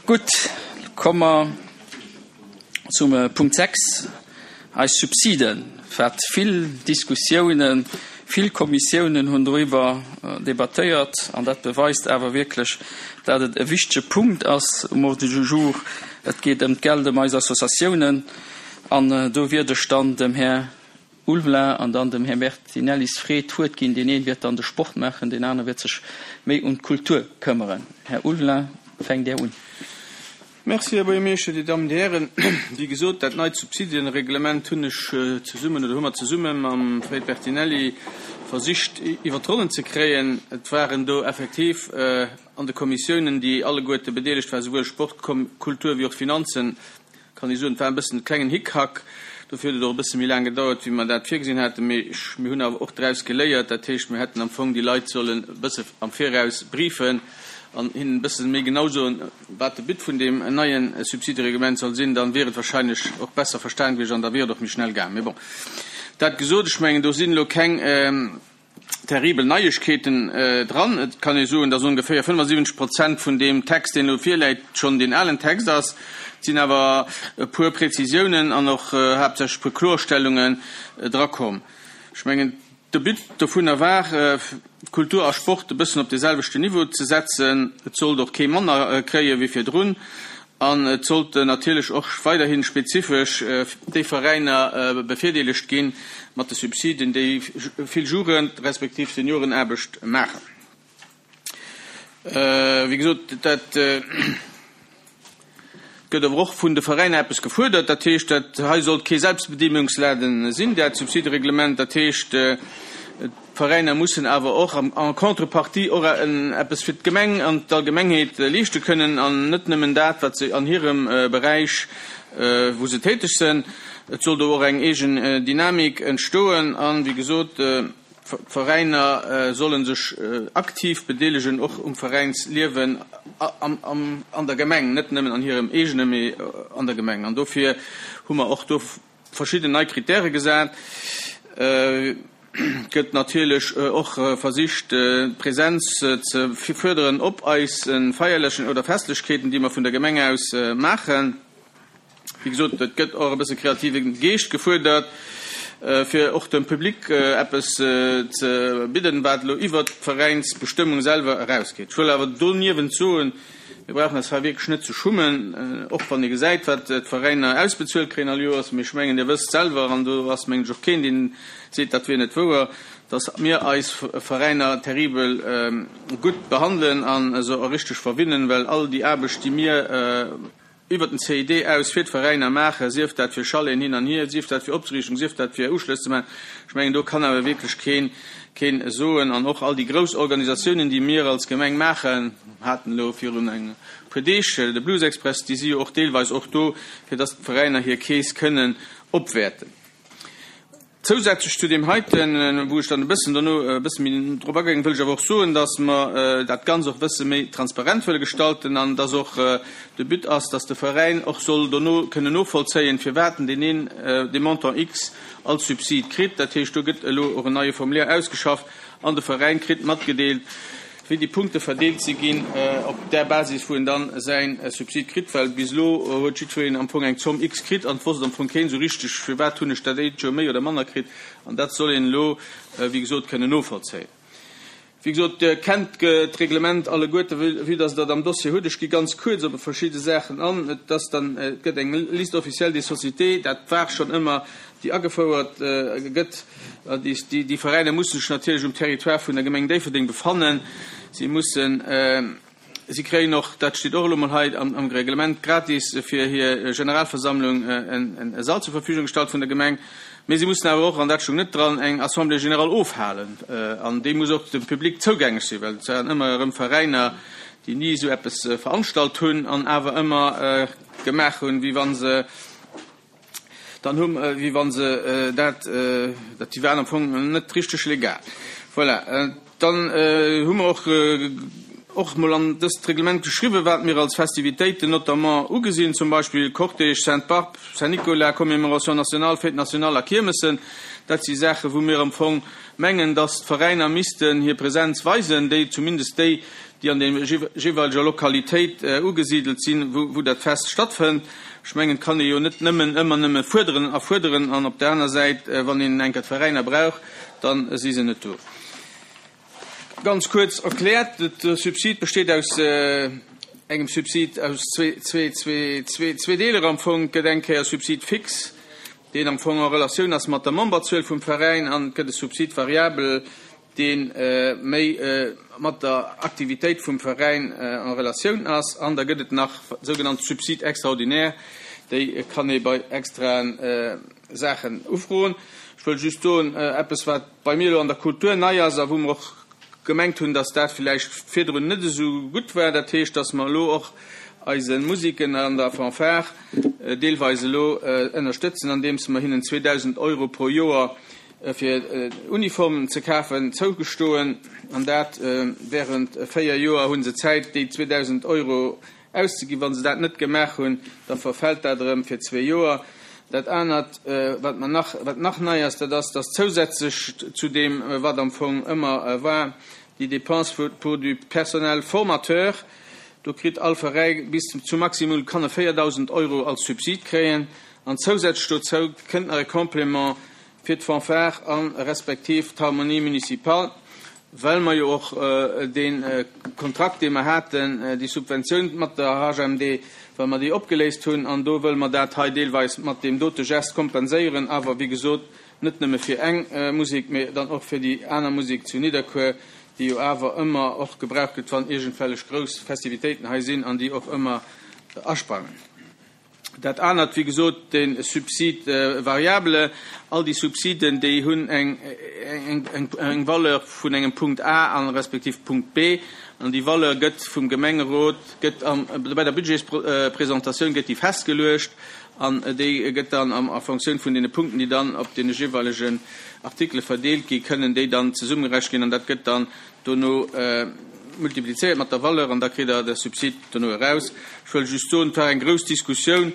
Gutt, komme mer zum Punkt 6, eis Subsiden, wat vill Diskussiounen, vill Kommissiounen hunn doriwwer debattéiert an dat beweist awer wierklech, dat et e wichtege Punkt ass um Ordre du jour. Et geet ëm d'Geld, ëm eis Associatiounen an do wiert ech dann dem Här Ulveling an dann dem Här Bertinellis Fre d'Wuert ginn. Deen een wäert dann de Sport maachen, deen anere wäert sech méi un d'Kultur këmmeren. Här Ulveling, fänkt Där un. Merci, Här Buergermeeschter, Dir Dammen, Dir Hären. Wéi gesot, dat neit Subsidienreglement hunn ech zesummen, oder hu mer zesumme mam Fred Bertinelli versicht iwwer d'Ronnen ze kréien. Et waren do effektiv an de Kommissiounen, déi alleguerte bedeelegt waren, souwuel Sport, Kultur wéi och Finanzen, kann ee soen, et war e bëssen e klengen Hickhack. Dofir huet et och e bësse méi laang gedauert, wéi mer dat virgesinn haten. Mee mir hunn awer och draus geléiert. Dat heescht, mir hätten am Fong déi Leit sollen e bësse am Viraus briefen an hinnen e bësse méi genau soen, wat de But vun deem neie Subsidereglement soll sinn. Dann wier et wahrscheinlech och besser verstan gewiescht an da wier et och méi schnell gaang. Mee bon, dat gesot, ech mengen, do sinn elo keng terribel Neiegkeeten dran. Et kann ee soen, dass ongeféier 75 Prozent vun deem Text, deen elo virläit, schonn deen alen Text ass. Et sinn awer e puer Präzisiounen an och haaptsächlech e puer Klorstellungen drakomm. Ech mengen, de But dovunner war, Kultur a Sport e bëssen op dee selwechten Niveau ze setzen. Et sollt och kee manner kréie wéi virdrun. An et sollten natierlech och weiderhi spezifesch déi Veräiner bevirdeelegt gi mat de Subsiden, déi vill Jugend respektiv Seniorenaarbecht maachen. Wéi gesot, dat gëtt awer och vun de Veräiner eppes gefuerdert. Dat heescht, dat hei sollt kee Selbstbedienungsladen sinn, dat Subsidereglement. Dat heescht, D'Veräiner mussen awer och en contrepartie och eppes fir d'Gemeng an d'Allgemengheet leeschte kënnen an net nëmmen dat, wat se an hirem Beräich, wou se täteg sënn. Et soll do och eng eegen Dynamik entstoen an, wéi gesot, d'Veräiner solle sech aktiv bedeelegen och um Veräinsliewen an der Gemeng, net nëmmen an hirem eegene, mee an der Gemeng. An dofir hu mer och do verschidden nei Kritäre gesat, gëtt natierlech och versicht d'Präsenz ze fuerderen op eise feierlechen oder Festlechkeeten, déi mer vun der Gemeng aus maachen. Wéi gesot, et gëtt och e bësse kreative Geescht gefuerdert, fir och dem Public eppes ze bidden, wat elo iwwert d'Veräinsbestëmmung selwer erausgeet. Ech wëll awer doniewent soen, Mir brauchen eis hei wierklech net ze schummen, och wann ee gesäit, wat d'Veräiner ausbezuelt kréien all Joers. Mee ech mengen, Dir wësst selwer, an do ass, mengen ech, och keen, deen seet, dat wier net wouer, dass mir eis Veräiner terribel gutt behandelen a se och richteg verwinnen, well all déi Aarbecht, déi mir iwwert den CID aus fir d'Veräiner maachen, sief dat fir Chaleten hin an hier, sief dat fir Opzeriichtung, sief dat fir Uschlëss ze maachen, ech mengen, do kann awer wierklech keen, keen soen. An och all déi grouss Organisatiounen, déi mir als Gemeng maachen, haten elo virun e puer Deeg de Blues Express, déi si jo och deelweis och do, fir dass d'Veräiner hir Keess kënnen opwäerten. Zousätzlech zu deem heiten, wou ech dann e bëssen dono e bësse méi drop agaangen, wëll ech awer och soen, dass mer dat Ganz och e bësse méi transparent wëlle gestalten an dass och de But ass, dass de Veräin och soll dono kënnen novollzéien, firwat en deen een, dee Montant X als Subsid kritt. Dat heescht, do gëtt elo och en neie Formulaire ausgeschafft an de Veräin kritt matgedeelt, wéi déi Punkte verdeelt si ginn op där Basis, wou en dann säin Subsid kritt, well bis elo huet jiddwereen am Fong eng Zomm X kritt an et wosst am Fong keen esou richteg, firwat hunn ech dat eent Joer méi oder manner kritt. An dat soll een elo, wéi gesot, kënnen novollzéien. Wéi gesot, Dir kennt d'Reglement alleguerte, vue dass Der et am Dossier hutt. Ech gi ganz kuerz op verschidde Saachen an. Et ass dann, et gëtt eng Liste officielle des sociétés, dat war schonn ëmmer, déi agefouert gëtt. Déi Veräiner mussen sech natierlech um Territoire vun der Gemeng Déifferdeng befannen. Si mussen, si kréien och, dat steet och elo mol hei am Reglement, gratis fir hir Generalversammlung e Sall zur Verfügung gestallt vun der Gemeng. Mee si mussen awer och, an dat stoung net dran, eng Assemblée générale ofhalen. An déi muss och dem Public zougänglech sinn, well et waren ëmmer erëm Veräiner, déi ni esou eppes veranstalt hunn an awer ëmmer gemaach hunn, wéi wa se, Dann hu wéi wa se dat, dat déi waren am Fong net richteg legal. Voilà. Dann hu mer och och mol an dëst Reglement geschriwwen, wat mir als Festivitéiten notamment ugesinn, zum Beispill Cortège Sainte-Barbe, Saint-Nicolas, Commémoration nationale, Fête nationale a Kiermessen. Dat si Saachen, wou mir am Fong mengen, dass d'Veräiner missten hir Präsenz weisen, déi zumindest déi, déi an der jeeweileger Lokalitéit ugesidelt sinn, wou dat Fest stattfënnt. Ech mengen, et kann ee jo net nëmmen ëmmer nëmme fuerderen a fuerderen an op der aner Säit, wann een eng Kéier d'Veräiner brauch, da si se net do. Ganz kuerz erkläert, De Subsid besteet aus engem Subsid aus zwee Deeler am Fong. Et gëtt eng Kéier e Subsid fixe, deen am Fong en Relatioun ass mat der Memberzuel vum Veräin, an et gëtt e Subsid variable, dee méi mat der Aktivitéit vum Veräin en Relatioun ass. An da gëtt et nach sougenannt Subsides extraordinaires, déi kann ee bei extraen Saachen ufroen. Ech wëll just soen, eppes wat bei mir elo an der Kultur nei ass a wou mer och gemengt hunn, dass dat villäicht virdrun net esou gutt war, dat heescht, dass mer elo och eise Musiken an der Fanfare deelweis elo ënnerstëtzen, andeems mer hinnen 2.000 Euro pro Joer fir Uniformen ze kafen, zougestoen, an dat während 4 Joer hu se Zäit, déi 2.000 Euro auszeginn. Wa se dat net gemaach hunn, da verfält dat erëm fir zwee Joer. Dat anert, wat mer nach, wat nach nei ass, dat ass, dass zousätzlech zu deem, wat am Fong ëmmer war, déi Dépenses pour du personnel formateur, do kritt all Veräi bis zu maximum kann e 4.000 Euro als Subsid kréien, an zousätzlech dozou kënnt nach e Complément fir d'Fanfare a respektiv d'Harmonie municipale, well mer jo och dee Kontrakt, dee mer haten, déi Subventioun mat der HMD, well mer déi opgeléist hunn. An do wëlle mer dat hei deelweis mat deem dote Gest kompenséieren, awer wéi gesot net nëmme fir eng Musek, mä dann och fir déi aner Musek zu Nidderkuer, déi jo awer ëmmer och gebraucht gëtt, wann iergendwellech grouss Festivitéiten hei sinn an déi och ëmmer asprangen. Dat anert, wéi gesot, de Subside variable. All déi Subsiden, déi hunn eng Valeur vun engem Punkt A a respektiv Punkt B. An déi Valeur gëtt vum Gemengerot, gëtt bei der Budgetspresentatioun gëtt déi festgeluecht an déi gëtt dann a Fonctioun vun deene Punkten, déi dann op deene jeeweilegen Artikele verdeelt ginn, kënnen déi dann zesummegerechent ginn an dat gëtt dann Dono multiplizéiert mat der Valeur an da kritt Der de Subsid dono eraus. Ech wëll just soen, et war eng grouss Diskussioun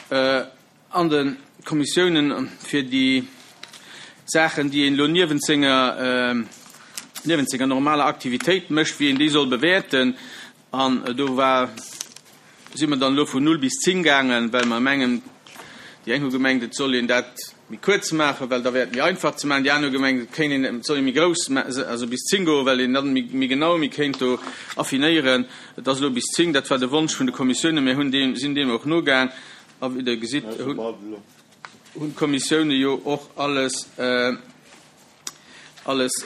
an de Kommissiounen fir déi Saachen, déi een elo niewent senger, niewent senger normaler Aktivitéit mécht, wéi een déi soll bewäerten. An do war, si mer dann elo vun null bis zéng gaangen, well mer mengen, déi eng hu gemengt, et soll een dat méi kuerz maachen, well da wär et méi einfach ze maachen, déi aner hu gemengt, et kéint een, et soll ee méi grouss, also bis zéng goen, well een dann méi genau méi kéint do affinéieren. Et ass elo bis zéng, dat war de Wonsch vun de Kommissiounen. Mir hunn deem, sinn deem och nogaang a wéi Der gesitt, hunn d'Kommissioune jo och alles, alles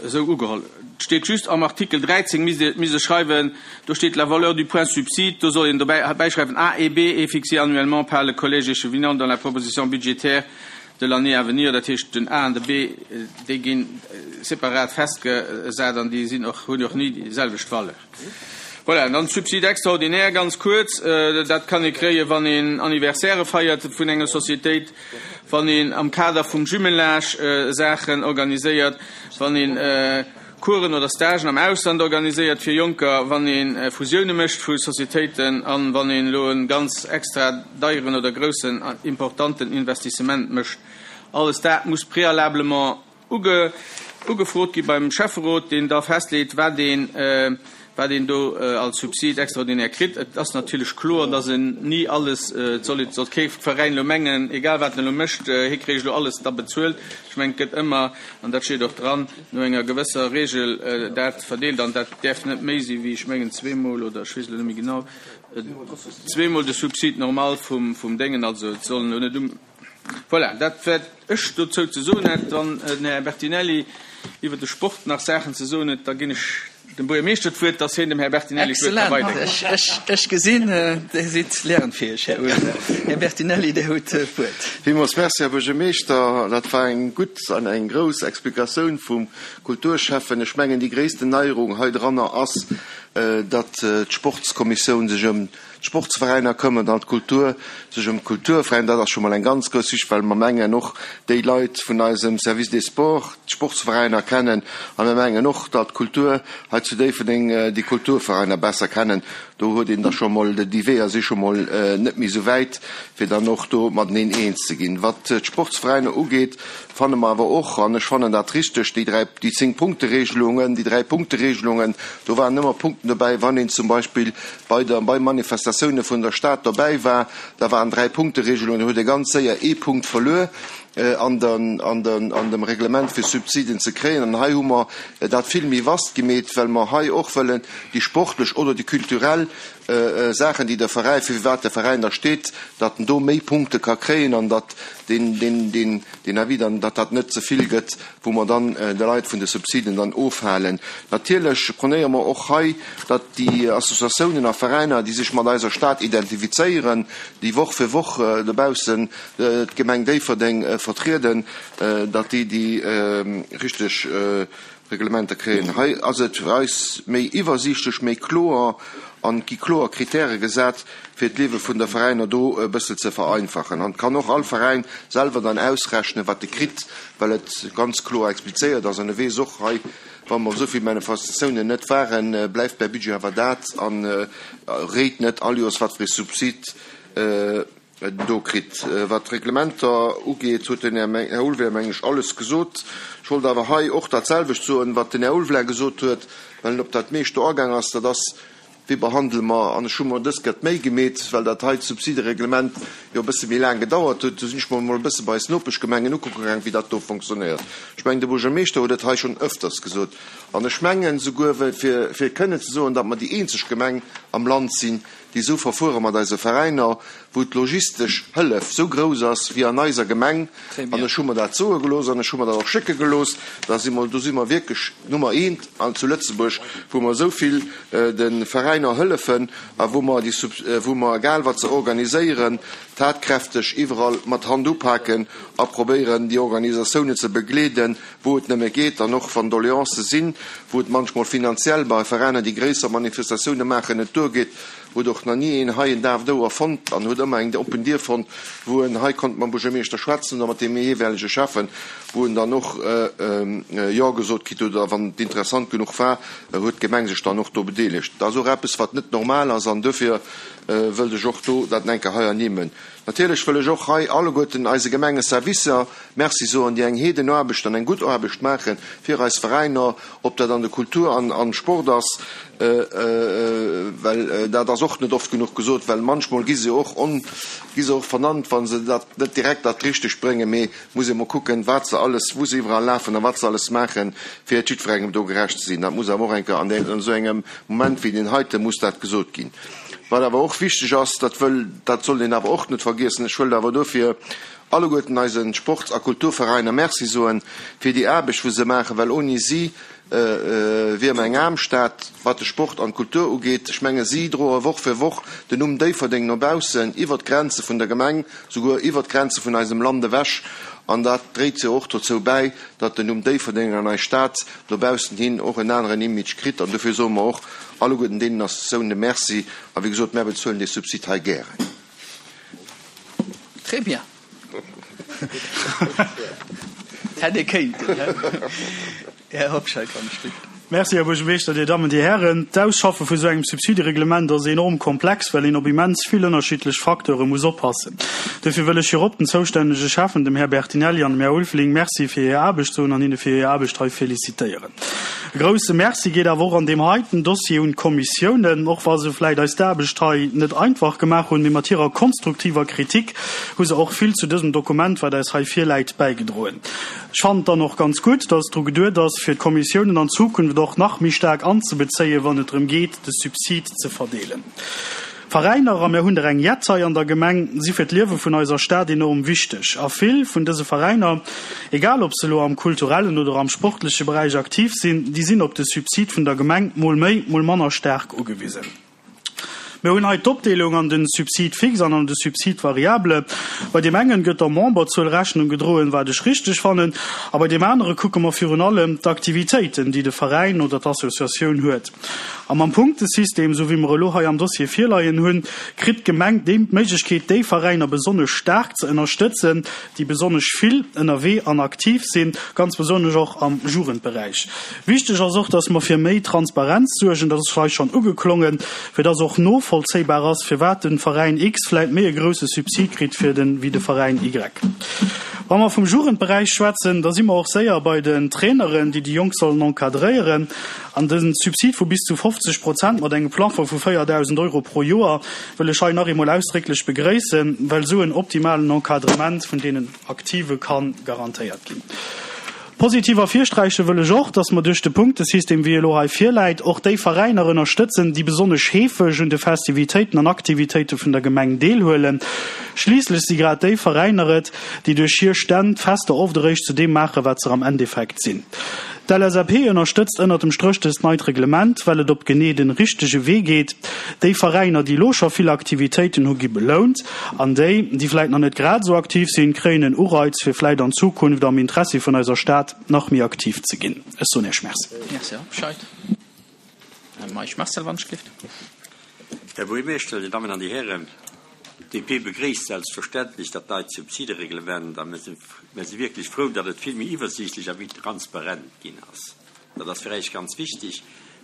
esou ugeholl. Et steet just am Artikel 13, misst Dir, misst ech schreiwen, do steet la valeur du point subside, do soll een dobäi bäischreiwen A et B est fixée annuellement par le collège échevinant dans la proposition budgétaire de l'année à venir. Dat heescht, den A an de B, déi gi separat festgesat an déi sinn och, hunn och ni déi selwecht Valeur. Voilà, dann d'Subside extraordinaire, ganz kuerz, dat kann ee kréien, wann een Anniversairë feiert vun enger Societéit, wann een am Kader vum Jumelage Saachen organiséiert, wann een Coursen oder Stagen am Ausland organiséiert fir Jonker, wann ee Fusioune mécht vu Societéiten an wann een elo e ganz extra deieren oder groussen importanten Investissement mécht. Alles dat muss préalablement Ugefrot gi beim Schäfferot, deen da festleet, wat een, wat een do als Subsid extraordinaire kritt. Et ass natierlech kloer, dass en ni alles, et soll, et sollt kee Veräin elo mengen, egal wat en elo mécht, hie kréich elo alles da bezuelt. Ech mengen, et gëtt ëmmer, an dat steet och dran, no enger gewësser Regel dat verdeelt an dat däerf net méi si wéi, ech mengen, zweemol oder ech weess elo net méi genau, zweemol de Subsid normal vum, vum Déngen. Also et sollen elo net um. Voilà, dat wat ech dozou ze soen hätt. Wann den Här Bertinelli iwwer de Sport nach Saachen ze soen huet, da ginn ech dem Buergermeeschter d'Wuert, dass hien dem Här Bertinelli d'Wuert ka weiderginn. Excellent. Ech gesinn, Dir sidd lernfäeg, Här Ursel. Här Bertinelli, Dir hutt d'Wuert. Villmools Merci, Här Buergermeeschter. Dat war eng gutt an eng grouss Explikatioun vum Kulturschäffen. Ech mengen, déi gréissten Neierung heidranner ass. datt d'Sportskommissioun sech ëm d'Sportsveräiner këmmert an d'Kultur sech ëm d'Kulturveräiner. Dat ass scho mol eng ganz grouss Wichtig, well mer mengen och déi Leit vun eisem Service des Sports d'Sportsveräiner kennen a mir mengen och, datt d'Kultur hei zu Déifferdeng déi Kulturveräiner besser kennen. Do huet een da scho mol, déi Weeër si scho mol net méi esou wäit, fir dann och do mateneen eens ze ginn. Wat d'Sportsveräiner ugeet, fanne mer awer och, an ech fannen dat richteg, déi dräi, déi Zéng-Punkte-Regelungen, déi Dräi-Punkte-Regelungen, do waren ëmmer Punkten dobäi, wann een zum Beispill bei der, bei Manifestatioune vun der Stad dobäi war, da waren Dräi-Punkte-Regelungen, do huet ee ganz séier ee Punkt verluer an der, an der, an dem Reglement fir Subsiden ze kréien. An hei hu mer dat vill méi vast gemeet, well mer hei och wëllen déi sportlech oder déi kulturell Saachen, déi de Veräin, fir wat de Veräin da steet, datt en do méi Punkte ka kréien an datt deen, deen, deen, deen Avis dann, datt dat net ze vill gëtt, wou mer dann de Leit vun de Subsiden dann ofhalen. Natierlech pronéiere mer och hei, datt déi Associatiounen a Veräiner, déi sech mat eiser Stad identifizéieren, déi Woch fir Woch dobaussen d'Gemeng Déifferdeng vertrieden, datt déi déi richteg Reglementer kréien. Hei ass et fir eis méi iwwersiichtlech, méi kloer an et gi kloer Kritäre gesat, fir d'Liewe vun der Veräiner do e bëssel ze vereinfachen. An et kann och all Veräin selwer dann ausrechnen, wat e kritt, well et ganz kloer explizéiert ass. An e weess och hei, wa mer op esou vill Manifestatiounen net waren, bleift mäi Budget awer dat an réit net all Joers, wat fir ee Subsid do kritt. Wat d'Reglementer ugeet, huet den Här Ulveling, meng ech, alles gesot. Ech wollt awer hei och dat selwecht soen, wat den Här Ulveling gesot huet, well en op dat meescht do agaang ass, dat ass, Wéi behandele mer, an ech hu mer dës Kéier d'Méi gemeet, well dat hei Subsidereglement jo e bësse méi laang gedauert huet, do sinn ech mer emol e bësse bei eis Nopeschgemengen ukucke gaang, wéi dat do fonctionnéiert. Ech mengen, de Buergermeeschter huet et hei schonn öfters gesot, an ech mengen souguer, fir kënnen ze soen, datt mer déi eenzeg Gemeng am Land sinn, déi esou verfuere mat eise Veräiner, wou d'logistesch Hëllef esou grouss ass wéi an eiser Gemeng, an ech hu mer dat soe gelooss an ech hu mer dat och schécke gelooss, da si mer, do si mer wierklech Nummer eent an zu Lëtzebuerg, wou mer esou vill de Veräiner hëllefen a wou mer déi, wou mer egal wat se organiséieren, tatkräfteg iwwerall mat Hand upaken a probéieren déi Organisatiounen ze begleeden, wou et nëmme geet, an och wann Doleancë sinn, wou et manchmol finanziell bei Veräiner, déi gréisser Manifestatioune maachen, net duergeet, huet och nach ni een hei en daaft Ouer fonnt an huet ëmmer eng oppen Dier fonnt, wou en hei konnt mam Buergermeeschter schwätzen oder mat deem jeeweilege Schäffen, wou en dann och Jo gesot kritt huet, oder wann et interessant genuch war, huet d'Gemeng sech dann och do bedeelegt. Dat ass och eppes, wat net normal ass, an duerfir wëllt ech och do dat enke hei ernimmen. Natierlech wëll ech och hei alleguerten eise Gemengeservicer Merci soen, déi eng Heedenaarbecht an eng gutt Aarbecht maache fir eis Veräiner, ob dat an der Kultur an am Sport ass, well dat ass och net oft genuch gesot, well manchmol gi se och on, gi se och vernannt, wa se dat net direkt dat Richtegt bréngen, mee muss ee mol kucken, wat se alles, wou se iwwerall lafen a wat se alles maachen, fir et jiddwerengem do gerecht ze sinn. Dat muss awer och eng Kéier an esou engem Moment wéi deen heite muss dat gesot ginn. Wat awer och wichteg ass, dat wëll, dat sollt een awer och net vergiessen, ech wëllt awer dofir alleguerten eise Sports a Kulturveräiner Merci soen fir déi Aarbecht wou se maachen, well ouni si wier mer eng aarm Stad wat de Sport an d'Kultur ugeet. Ech menge si droe Woch fir Woch den Numm Déifferdeng no baussen, iwwert d'Grenze vun der Gemeng, souguer iwwert d'Grenze vun eisem Land ewech an dat dréit jo och dozou bäi, datt den Numm Déifferdeng an eis Stad no baussen hin och en aneren Image kritt an dofir soe mer och alleguerten deenen Associatiounen Merci a wéi gesot, mär bezuelen dee Subsid hei gären. Très bien. Hätt ee kéinten, hä? Här Hobscheit, wann ech bitt. Merci, Här Buergermeeschter, Dir Dammen, Dir Hären. D'Ausschaffe vu sou engem Subsidereglement ass enorm komplex, well een op immens vill ënnerschiddlech Facteure muss oppassen. Duerfir wëll ech virop den zoustännege Schäffen, dem Här Bertinelli an dem Här Ulveling, Merci fir hir Aarbecht soen an hinne fir hir Aarbecht hei félicitéieren. E grouse Merci geet awer och an deem heiten Dossier un d'Kommissiounen, och wa se vläicht eis d'Aarbecht hei net einfach gemaach hunn, mee mat hirer konstruktiver Kritik hu se och vill zu dësem Dokument, wat eis hei virläit, bäigedroen. Ech fannen et dann och ganz gutt, dass dru geduet ass, fir d'Kommissiounen an Zukunft och nach méi staark anzebezéien, wann et drëm geet, de Subsid ze verdeelen. Veräiner, a mir hunn der eng jett hei an der Gemeng, si fir d'Liewe vun eiser Stad enorm wichteg. A vill vun dëse Veräiner, egal ob se elo am kulturellen oder am sportleche Beräich aktiv sinn, déi sinn op de Subsid vun der Gemeng mol méi, mol manner staark ugewisen. Mir hunn hei d'Opdeelung an den Subside fixe an an de Subside variable. Bei deem engen gëtt der Memberzuel Rechnung gedroen, wat ech richteg fannen, a bei deem anere kucke mer virun allem d'Aktivitéiten, déi de Veräin oder d'Associatioun huet. A mam Punktesystem, esou wéi mer elo hei am Dossier virleien hunn, kritt d'Gemeng déi Méiglechkeet, déi Veräiner besonnesch staark ze ënnerstëtzen, déi besonnesch vill ënnerwee an aktiv sinn, ganz besonnesch och am Jugendberäich. Wichteg ass och, dass mer fir méi Transparenz suergen, dat ass hei schonn ugeklongen, fir dass och novollzéibar ass, firwat de Veräin X vläit méi e grouse Subsid kritt fir den, wéi de Veräin Y. Wa mer vum Jugendberäich schwätzen, da si mer och séier bei den Traineren, déi déi Jonk sollen encadréieren. An de Subsid vu bis zu 50 Prozent mat engem Plafond vu 4.000 Euro pro Joer wëll ech hei nach eemol ausdrécklech begréissen, well esou en optimalen Encadrement vun deenen Aktive ka garantéiert ginn. Positiv ervirsträiche wëll ech och, dass mer duerch de Punktesystem, wéi e elo hei virläit, och déi Veräiner ënnerstëtzen, déi besonnesch heefeg un de Festivitéiten an Aktivitéite vun der Gemeng deelhuelen. Schliisslech si grad déi Veräiner et, déi duerch hir Stänn d'Fester oft eréischt zu deem maachen, wat se am Endeffekt sinn. D'LSAP ënnerstëtzt ënnert dem Stréch dëst neit Reglement, well et op genee den richtege Wee geet. Déi Veräiner, déi elo scho vill Aktivitéiten hu gi belount an déi, déi vläit nach net grad esou aktiv sinn, kréien en Ureiz, fir vläit an Zukunft am Interessi vun eiser Stad nach méi aktiv ze ginn. Ech soen Iech Merci. Merci, Här Hobscheit. Här Meisch Marcel, wann ech gelift. Här Buergermeeschter, Dir Dammen an Dir Hären, d'DP begréisst selbstverständlech dat neit Subsidereglement a mir si wierklech frou, datt et vill méi iwwersiichtlech a méi transparent ginn ass. Dat ass fir äis ganz wichteg.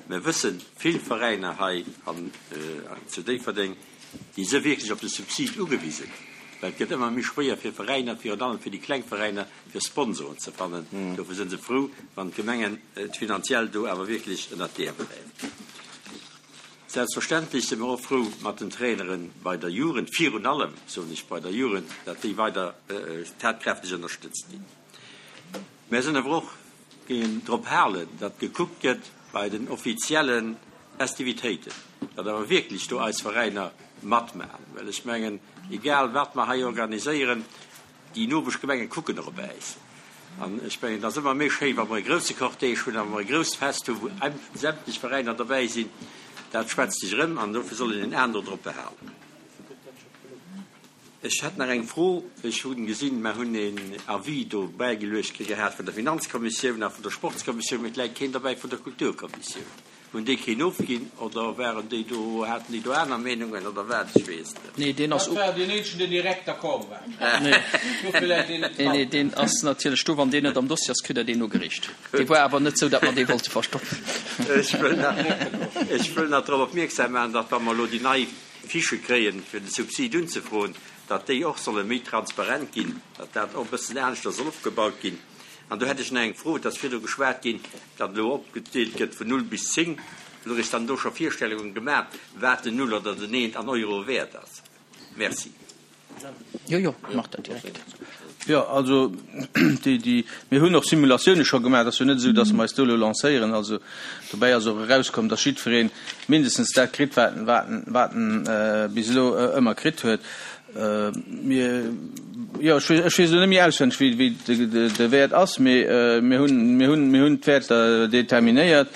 Mir wëssen, vill Veräiner hei an zu Déifferdeng, déi si wierklech op de Subsid ugewisen, well et gëtt ëmmer méi schwéier fir Veräiner, virun allem fir déi kleng Veräiner, fir Sponsoren ze fannen. Dofir si se frou, wann d'Gemengen et finanziell do awer wierklech ënnert d'Äerm gräifen. Selbstverständlech si mer och frou mat den Trainere bei der Jugend, virun allem, soen ech, bei der Jugend, datt déi weider tatkräfteg ënnerstëtzt ginn. Mär sinn awer och géingen drop halen, datt gekuckt gëtt bei den offizielle Festivitéiten, datt awer wierklech do eis Veräiner matmaachen, well ech mengen, egal wat mer hei organiséieren, déi Nopeschgemenge kucken och op äis. An ech mengen, et ass ëmmer méi schéi, wa mer e grousse Cortège hunn a wa mer e grousst Fest hunn, wou sämtlech Veräiner dobäi sinn. Dat schwätzt sech erëm an dofir soll een en An do drop behalen. Ech hätt nach eng Fro. Ech hu gesinn, mer hunn een Avis do bäigeluecht kritt gehat vun der Finanzkommissioun a vun der Sportskommissioun, mee et läit keen derbäi vun der Kulturkommissioun. Hunn déi keen ofginn oder waren déi do, haten déi do aner Meenungen oder wat? Ech weess et net. Nee, deen ass. Dat war deen eenzegen, deen direkt d'accord war. Dofir läit deen net dran. Nee, deen ass natierlech do. Wann deen net am Dossier ass, kritt Der deen nogereecht. Dee war awer net esou, datt mer dee wollte verstoppen. Ech wëll nach, ech wëll nach drop opmierksam maachen, datt wa mer elo déi nei Fichë kréien, fir de Subsid unzefroen, datt déi och solle méi transparent ginn, datt dat och e bëssen aneschter soll opgebaut ginn. An do hätt ech nach eng Fro, Et ass virdru geschwat ginn, datt elo opgedeelt gëtt vun null bis zéng. Hutt Der Iech dann do scho Virstellungen gemaach, wat den Null oder den Eent an Euro wäert ass? Merci. Jo, jo, mach dat direkt. Jo, also déi, déi, mir hunn och Simulatioune scho gemaach. Et ass jo net esou, datt mer eis do elo lancéieren. Also dobäi ass och erauskomm, datt jiddweree mindestens dat kritt, wat en, wat en, wat en bis elo ëmmer kritt huet. Mir, jo, ech weess, ech weess elo net méi auswenneg, wéi, wéi de, de, de Wäert ass, mee mir hunn, mir hunn, mir hunn d'Wäerter determinéiert.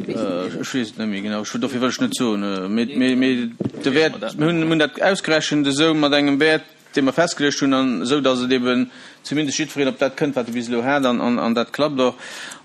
Ech weess et net méi genau, ech, dofir wëll ech net soen. Mee, mee, mee de Wäert, mir hunn, mir hunn dat ausgerechent esou mat engem Wäert, dee mer festgeluecht hunn, an esou datt et eben zumindest jiddwereen op dat kënnt, wat e bis elo hat, an, an, an dat klappt och.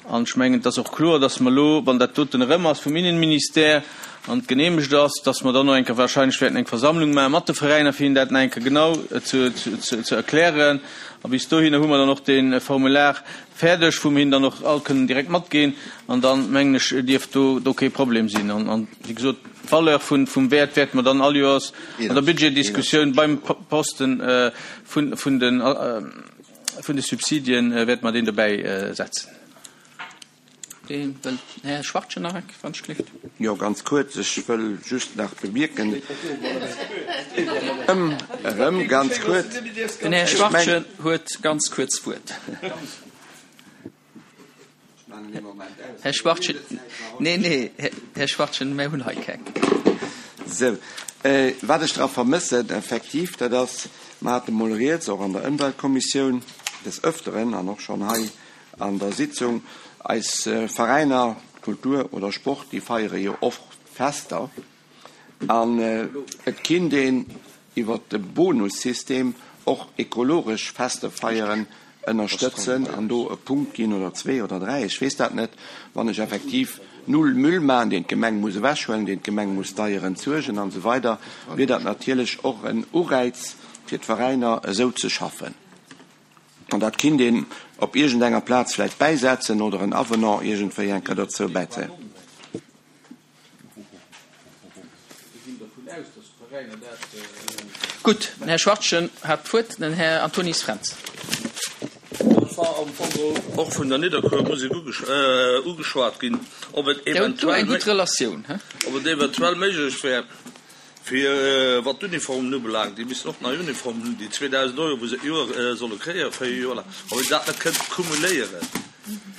An ech mengen, et ass och kloer, datt mer elo, wann dat doten erëm ass vum Innenministère an geneemegt ass, datt mer dann och eng Kéier wahrscheinlech wäerten eng Versammlung maache mat de Veräiner, fir hinnen dat nach eng Kéier genau ze, ze, ze erklären. A bis dohinner hu mer dann och dee Formular fäerdeg, wou mer hinnen dann och all kënnen direkt matginn. An dann, mengen ech, dierft do, do kee Problem sinn. An, an wéi gesot, d'Valeur vun, vum Wäert wäerte mer dann all Joers an der Budgetdiskussioun beim Posten vun, vun den, vun de Subsidien wäerte mer deen dobäi setzen. Dee wëllt. Här Schwachtgen nach eng, wann ech gelift. Jo, ganz kuerz. Ech wëll just nach bemierken, erëm, erëm ganz kuerz. Den Här Schwachtgen huet ganz kuerz d'Wuert. Här Schwachtgen, nee, nee, Här Schwachtgen, mär hunn hei keng. Sou, wat ech dra vermëssen effektiv, dat ass, mer hate mol rieds, och an der Ëmweltkommissioun des Öfteren an och schonn hei an der Sitzung, eis Veräiner, Kultur oder Sport, déi feiere jo och Fester. An et kinnt een iwwert de Bonussystem och ekologesch Fester feieren ënnerstëtzen an do e Punkt ginn oder zwee oder dräi, ech weess dat net, wann ech effektiv null Müll maachen, deen d'Gemeng muss ewechhuelen, deen d'Gemeng muss deier entsuergen an esou weider, wier dat natierlech och en Ureiz fir d'Veräiner esou ze schaffen. An dat kinnt een op iergendenger Plaz vläicht bäisetzen oder en Avenant iergendwéi eng Kéier dozou bäizéien. Gutt, den Här Schwachtgen hat d'Wuert, den Här Antonis Fränz. Et war am Fong och vun der Nidderkuer Musek ugeschwat ginn, ob et eventuell méiglech wär, fir wat d'Uniformen ubelaangt, déi missten och nei Uniformen hunn, déi 2.000 Euro, wou se d'Joer solle kréien, 4 Joer laang, ob een dat net kënnt cumuléieren,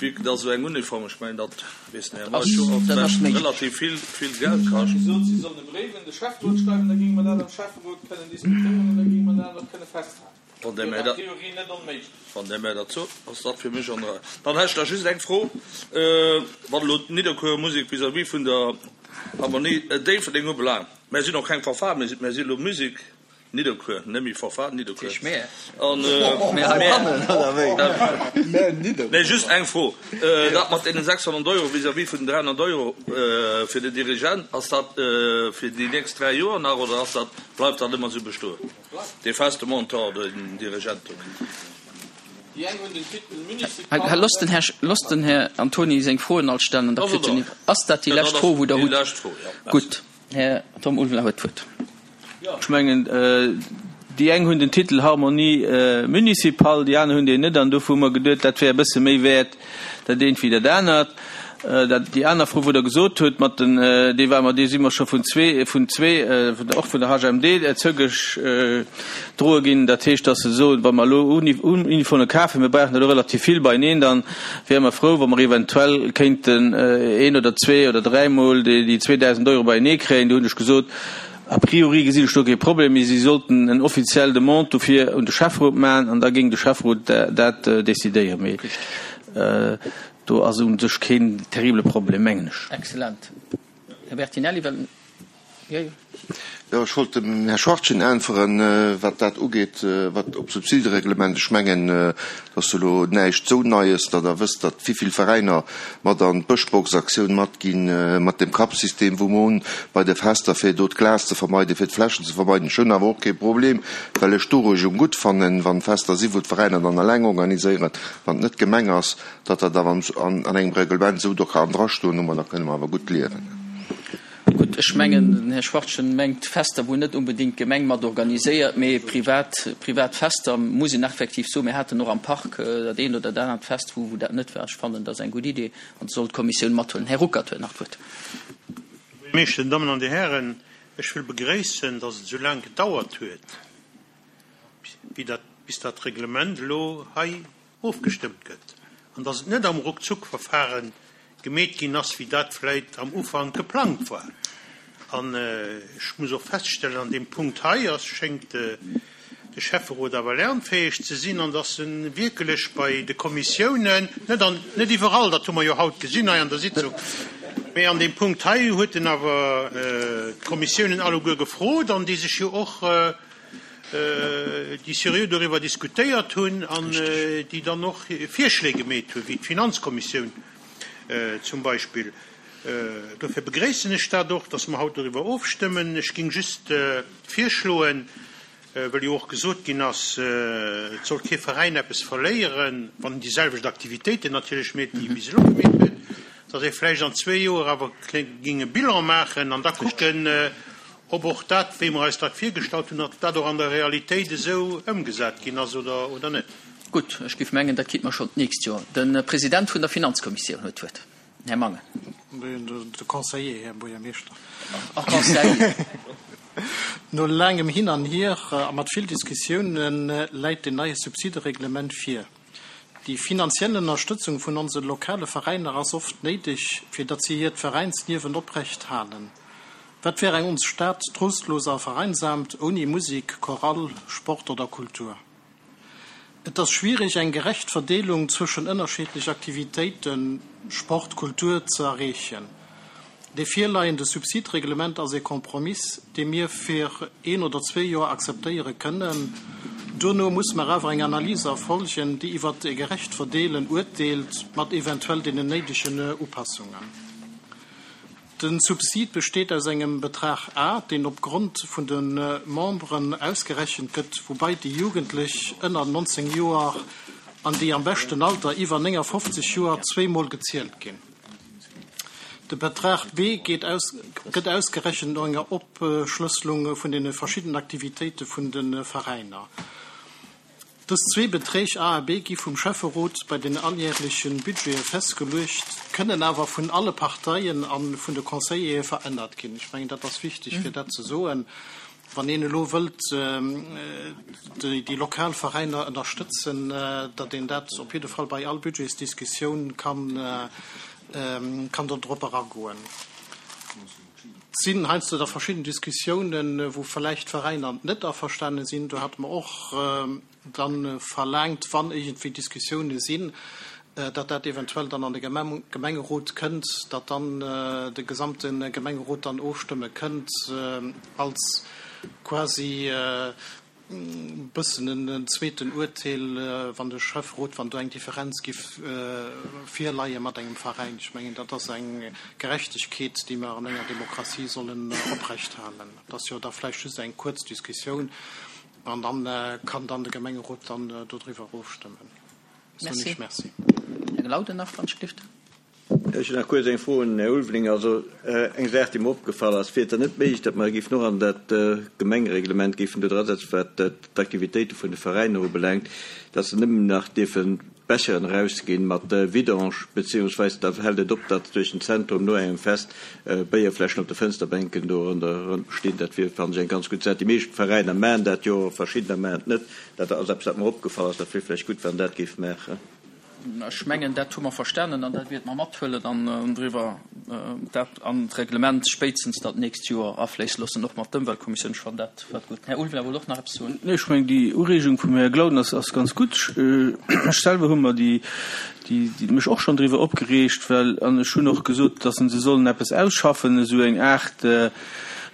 vue que dass esou eng Uniform, ech mengen, dat weess den Här Meisch jo och, vläicht relativ vill, vill Geld kascht. Gesot, si sollen e Bréif un de Schäfferot schreiwen, da géinge mer dat am Schäfferot kënnen diskutéieren an da géinge mer dat och kënne festhalen. Wann Der mär dat, wann Der mär dat sot, ass dat fir mech an der Rei. Dann hätt ech nach just eng Fro, wat elo d'Nidderkuerer Musek vis-à-vis vun der Harmonie Déifferdeng ubelaangt. Mär sinn och keng Fanfare, mä mär si elo Musique Nidderkuer, net méi Fanfare Nidderkuer. An, mä just eng Fro, dat mat deenen 600 Euro vis-à-vis vun den 300 Euro fir den Dirigent, ass dat fir déi nächst dräi Joer nach oder ass dat, bleift dat ëmmer esou bestoen? Dee feste Montant, den Dirigent do kritt. Loosst den Här, loosst den Här Antoni seng Froen all stellen an da kritt en. Ass dat déi lescht Fro, wou Der hutt? Gutt, Här Tom Ulveler huet d'Wuert. Ech mengen, déi eng hunn den Titel Harmonie municipale, déi aner hunn deen net. An dofir hu mer geduet, dat wär e bësse méi wäert, dat eent wéi dat anert. Dat, déi aner Fro, wou Der gesot hutt, mat den, déi war mer, déi si mer scho vun zwee, vun zwee, och vun der HMD zougeschdroe ginn. Dat heescht, dass se soen, wa mer elo Uniforme kafen, mir brauchen der elo relativ vill beieneen, dann wäre mer frou, wa mer eventuell kéinten een oder zwee oder dräimol déi 2.000 Euro beienee kréien. Do hunn ech gesot, a priori gesinn ech do kee Problem, mee si sollten en offiziell Demande dofir un de Schäfferot maachen an da géing de Schäfferot dat decidéieren. Mee Do ass u sech keen terrible Problem, mengen ech. Excellent. Här Bertinelli, well, jo, jo. Jo, ech wollt dem Här Schwachtgen äntweren, wat dat ugeet, wat op d'Subsidereglement. Ech mengen, et ass elo näischt esou Neies, datt Der wësst, datt vivill Veräiner mat an d'Bëschbox-Aktioun matginn, mat dem Cup-System, wou mer hunn bei de Fester, fir do d'Glas ze vermeiden, fir d'Fläschen ze vermeiden. Ech hunn awer och kee Problem, well ech d'Ureegung gutt fannen, wann Fester si wou d'Veräiner dann eleng organiséieren, wann et net d'Gemeng ass, datt dat awer an engem Reglement esou do kann drastoen, domadder kënne mer awer gutt liewen. Gutt, ech mengen, den Här Schwachtgen mengt Fester, wou net onbedéngt d'Gemeng mat organiséiert, mee privat, privat Fester, muss een effektiv soen. Mir haten och am Park dat eent oder dat anert Fest, wou dat net war. Ech fannen, dat ass eng gutt Idee an dat soll d'Kommissioun mathuelen. Här Ruckert huet nach d'Wuert. Här Buergermeeschter, Dir Dammen an Dir Hären, ech wëll begréissen, datt et esou laang gedauert huet, bis dat Reglement elo hei ofgestëmmt gëtt an dass et net am Ruckzuckverfahren gemeet ginn ass, wéi dat vläit am Ufank geplangt war. An ech muss och feststellen, an deem Punkt hei ass, schéngt de Schäfferot awer lernfäeg ze sinn an dass e wierkelech bei de Kommissiounen, net an, net iwwerall, dat hu mer jo haut gesinn hei an der Sitzung, mee an deem Punkt hei huet en awer d'Kommissiounen alleguer gefrot an déi sech jo och, déi seriö doriwwer diskutéiert hunn an déi dann och Virschléi gemeet hunn, wéi d'Finanzkommissioun zum Beispill. Dofir begréissen ech dat och, dass mer haut doriwwer ofstëmmen. Ech géing just virschloen, well jo och gesot ginn ass, et soll kee Veräin eppes verléieren, wann en déi selwecht Aktivitéiten natierlech meet, déi e bis elo gemeet huet, dass ee vläicht an zwee Joer awer géing e Bilan maachen an da kucken, Ob och dat, wéi mer eis dat virgestallt hunn, ob dat och an der Realitéit esou ëmgesat ginn ass oder net. Gutt, ech géif mengen, dat kritt mer schonn d'nächst Joer. De President vun der Finanzkommissioun huet d'Wuert, den Här Mangen. De Conseiller, Här Buergermeeschter. Ach, Conseiller. No laangem Hin an Hier a mat vill Diskussiounen läit den neie Subsidereglement vir. Déi finanziell Ënnerstëtzung vun onse lokale Veräiner ass oft néideg, fir datt si hiert Veräinsliewen oprecht halen. Wat wär eng ons Stad trostlos a vereinsamt ouni Musik, Chorale, Sport oder Kultur? Et ass schwierig eng gerecht Verdeelung zwëschen ënnerscheedlech Aktivitéiten, Sport, Kultur, ze erreechen. Dee virleiende Subsidreglement ass ee Kompromiss, dee mir fir een oder zwee Joer akzeptéiere kënnen. Duerno muss mer awer eng Analys erfolgen, déi iwwert e gerecht Verdeelen urteelt, mat eventuell deenen néidegen Upassungen. De Subsid besteet aus engem Betrag A, deen op Grond vun de Memberen ausgerechent gëtt, woubai déi Jugendlech ënner 19 Joer an déi am beschten Alter iwwer 59 Joer zweemol gezielt ginn. De Betrag B geet aus, gëtt ausgerechent no enger Opschlësselung vun deene verschiddenen Aktivitéite vun de Veräiner. Dës zwee Beträg A a B gi vum Schäfferot bei den alljärleche Budgete festgeluecht, kënnen awer vun alle Parteien a vun de Conseillere verännert ginn. Ech mengen, dat ass wichteg, fir dat ze soen. Wann een elo wëllt déi lokal Veräiner ënnerstëtzen, datt een dat op jidde Fall bei all Budgetsdiskussioun kann, kann do drop eragoen. Et sinn heiansdo da verschidden Diskussiounen, wou vläicht d'Veräiner net averstane sinn. Do hate mer och dann verlaangt, wann iergendwéi Diskussioune sinn, datt dat eventuell dann an de Gemengerot kënnt, datt dann de gesamte Gemengerot dann ofstëmme kënnt als quasi e bëssen en zweeten Uerteel, wann de Schäfferot, wann do eng Differenz giff virleie mat engem Veräin. Ech mengen, dat ass eng Gerechtegkeet, déi mer an enger Demokratie sollen oprechthalen. Et ass jo da vläicht just eng kuerz Diskussioun. An dann kann dann de Gemengerot dann dodriwwer ofstëmmen. Soen ech Merci. Här Glauden nach, wann ech gelift. Ech hunn nach kuerz eng Fro un den Här Ulveling. Also eng Saach, déi mer opgefall ass, Wier et dann net méiglech, datt mer géifen och an dat Gemengereglement géifen do drasetzen, wat d'Aktivitéite vun de Veräiner ubelaangt, datt se nëmmen nach dierfen Becheren erausginn mat Vidange, beziehungsweise da hält et op, datt duerch den Zentrum no engem Fest Béierfläschen op de Fënsterbänken do ronderëm stinn. Dat wier, fannen ech, eng ganz gutt Saach. Déi meescht Veräiner maachen dat jo, verschiddener maachen et net. Dat ass eppes, wat mer opgefall ass. Dat wier vläicht gutt, wann dat géif maachen. Ech mengen, dat hu mer verstanen an dat wäerte mer mathuelen an driwwer dat an d'Reglement spéitstens dat nächst Joer afléisse loossen, och mat d'Ëmweltkommissioun. Ech fannen dat wat gutt. Den Här Ulveling wollt och nach eppes soen. Nee, ech mengen, déi Ureegung vum Här Glauden ass, ass ganz gutt. Ech selwer hu mer déi, déi, déi, mech och schonn driwwer opgereegt, well, an ech hunn och gesot, dass se sollen eppes ausschaffen, esou eng Aart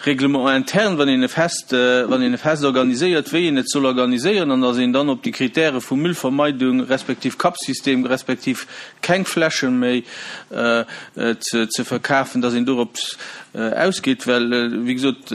Règlement interne, wann een e Fest, wann een e Fest organiséiert, wéi een et soll organiséieren, an dass een dann op déi Kritäre vu Müllvermeidung respektiv Cup-System respektiv keng Fläsche méi ze verkafen, dass een dorop ausgeet, well, wéi gesot,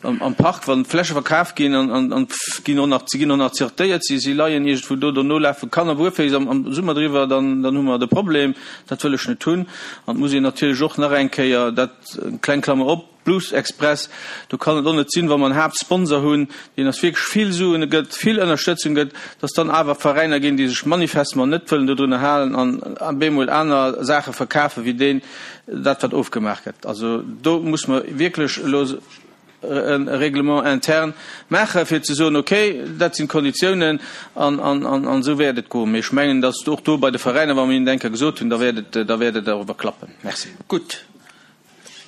am Park, wann d'Fläsche verkaf ginn an ginn och nach, se ginn och nach zertéiert, si si leien iergendwou do, dono lafe Kanner buerféiss am Summer driwwer, dann hu mer de Problem. Dat wëll ech net hunn. An et muss een natierlech och nach eng Kéier dat, kleng Klammer op, Blues Express, do kann et och net sinn, wa mer en Haaptsponsor hunn, deen eis wierklech vill Suen gëtt, vill Ënnerstëtzung gëtt, dass dann awer Veräiner ginn, déi sech manifestement net wëllen dodrunner halen an bemol aner Saache verkafen, wéi deen, dat wat ofgemaach gëtt. Also do muss mer wierklech elo e Règlement interne maachen, fir ze soen, okay, dat sinn d'Konditiounen an esou wäert et goen. Mee ech mengen, dass och do bei de Veräiner, wa mer hinnen dat eng Kéier gesot hunn, da wäert et, da wäert et awer klappen. Merci. Gutt.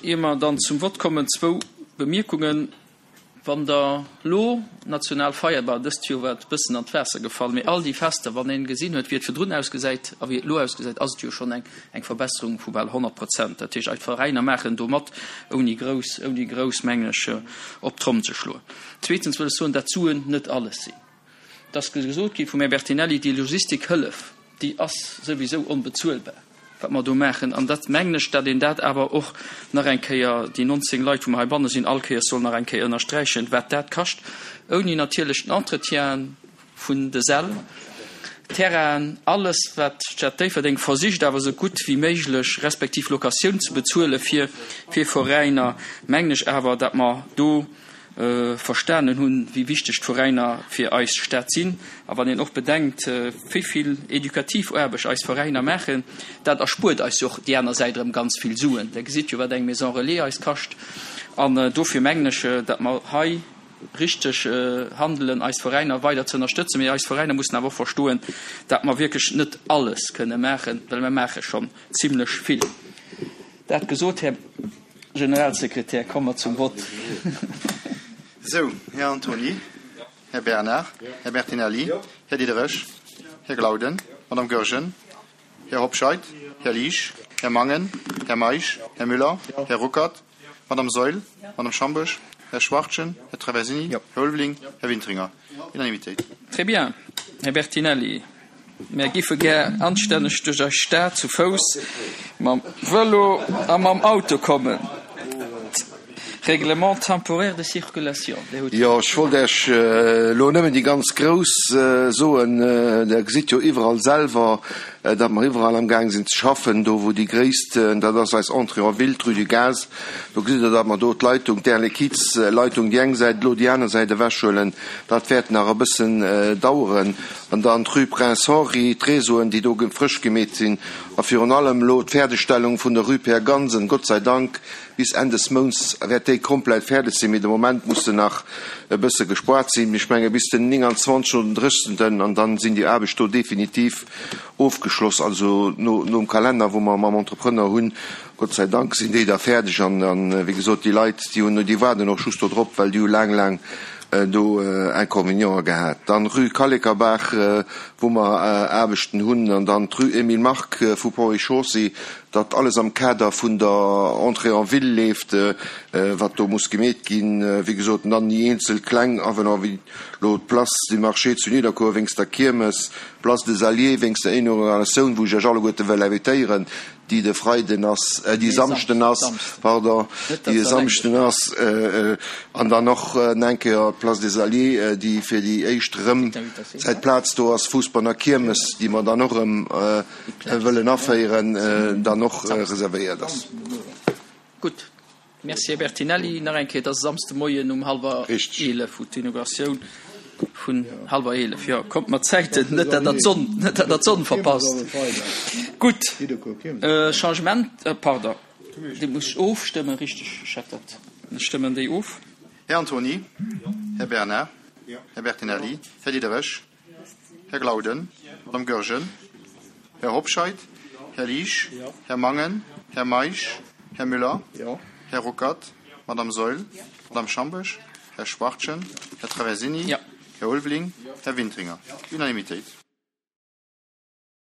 Ier mer dann zum Vott kommen, zwou Bemierkungen. Wann Der elo national Feierdag, dëst Joer war et e bëssen an d'Waasser gefall, mee all déi Fester, wann een gesinn huet, wéi et virdrun ausgesäit a wéi et elo ausgesäit, ass et jo schonn eng eng Verbesserung vu bal 100 Prozent. Dat heescht, eis Veräiner maachen do mat, ouni grouss, ouni grouss, mengen ech, op d'Tromm ze schloen. Zweetens wëll ech soen, dat d'Suen net alles sinn. Et ass gesot gi vum Här Bertinelli, déi Logistikhëllef, déi ass souwisou onbezuelbar, wat mer do maachen. An dat mengen ech, datt een dat awer och nach eng Kéier, déi 19 Leit, wou mer heibanne sinn, all Kéiers soll nach eng Kéier ënnersträichen, wat dat kascht, ouni natierlech den Entretien vun de Säll, Terrainen, alles wat d'Stad Déifferdeng versicht awer esou gutt wéi méiglech, respektiv Locatioun ze bezuele fir Veräiner, mengen ech awer, datt mer do, verstanen hunn, wéi wichteg d'Veräiner fir eis Stad sinn. A wann een och bedenkt, wéi vill edukativ Aarbecht eis Veräiner maachen, dat erspuert eis jo och déi aner Säit erëm ganz vill Suen. Der gesitt jo, wat eng Maison relais eis kascht. An dofir mengen ech, datt mer hei richteg handelen, eis Veräiner weider ze ënnerstëtzen. Mee eis Veräiner mussen awer och verstoen, datt mer wierklech net alles kënne maachen, well mer maache schonn zimlech vill. Dat gesot, Här Generalsekretär, komme mer zum Vott. Esou, Här Antony, Här Bernard, Här Bertinelli, Här Diderich, Här Glauden, Madame Goergen, Här Hobscheit, Här Liesch. Här Mangen, Här Meisch, Här Müller, Här Ruckert, Madame Saeul, Madame Schambourg, Här Schwachtgen, Här Traversini, Här Ulveling, Här Wintringer. Unanimitéit. Très bien, Här Bertinelli. Mär giffe gär anstänneg duerch eis Stad zu Fouss, mam Vëlo a mam Auto kommen. Règlement temporaire de circulation, Dir hutt Jo, ech wollt Iech elo nëmmen déi ganz grouss soen. Der gesitt jo iwwerall selwer, datt mer iwwerall amgaang sinn ze schaffen. Do wou déi gréisst, dat ass eis Entrée en ville, d'Rue du Gaz, do gesitt Der, datt mer do d'Leitung, d'Air Liquides-Leitung déi eng Säit, elo déi aner Säit ewechhuelen. Dat wäert nach e bëssen daueren. An dann d'Rue Prince Henri, d'Réseauen, déi do frësch gemeet sinn, a virun allem elo d'Fäerdegstellung vun der Rue Pierre Gansen, Gott sei Dank, bis Enn des Mounts wäert déi komplett fäerdeg sinn, mee de Moment muss se nach e bësse gespoart sinn, ech menge bis den 29 oder den 30. An dann sinn déi Aarbecht do definitiv ofgeschloss, also nom Kalenner, wou mer mam Entrepreneur hunn. Gott sei Dank sinn déi da fäerdeg an, wéi gesot, déi Leit, déi hunn, déi waarden och just do drop, well déi hu laang, laang do Inconvénienten gehat. Dann Rue Kallekerbaach, wou mer Aarbechten hunn, an dann d'Rue Emile Mark vu Ponts et Chaussées, dat alles am Kader vun der Entrée en ville leeft, wat do muss gemeet ginn. Wéi gesot, an dann déi eenzel kleng Avenants, wéi elo d'Place du Marché zu Nidderkuer wéinst der Kiermes, d'Place des Alliés wéinst der Inauguratioun, wou ech Iech alleguerte wëll invitéieren, déi de Freiden ass, déi Samschden ass, pardon, déi e Samschden ass, an dann och eng Kéier d'Place des Alliés, déi fir déi éischt erëm säit Plaz do ass, Fussball a Kiermes, déi mer dann och erëm wëllen aféieren, dann och reservéiert ass. Gutt. Merci, Här Bertinelli. Nach eng Kéier, et ass e Samsdemoien um hallwer 11, wou d'Inauguratioun vun hallwer 11, jo, kommt mat Zäiten, net dat Der d'Sonn, net dat Der d'Sonn verpasst. Gutt, Changement, pardon, déi muss ech ofstëmmen, richteg, ech hat dat, ech stëmmen déi of. Här Antony, Här Bernard, Här Bertinelli, Här Diderich. Här Glauden, Madame Goergen, Här Hobscheit, Här Liesch, Här Mangen, Här Meisch, Här Müller, Här Ruckert, Madame Saeul, Madame Schambourg, Här Schwachtgen, Här Traversini, Här Ulveling, Här Wintringer. Unanimitéit.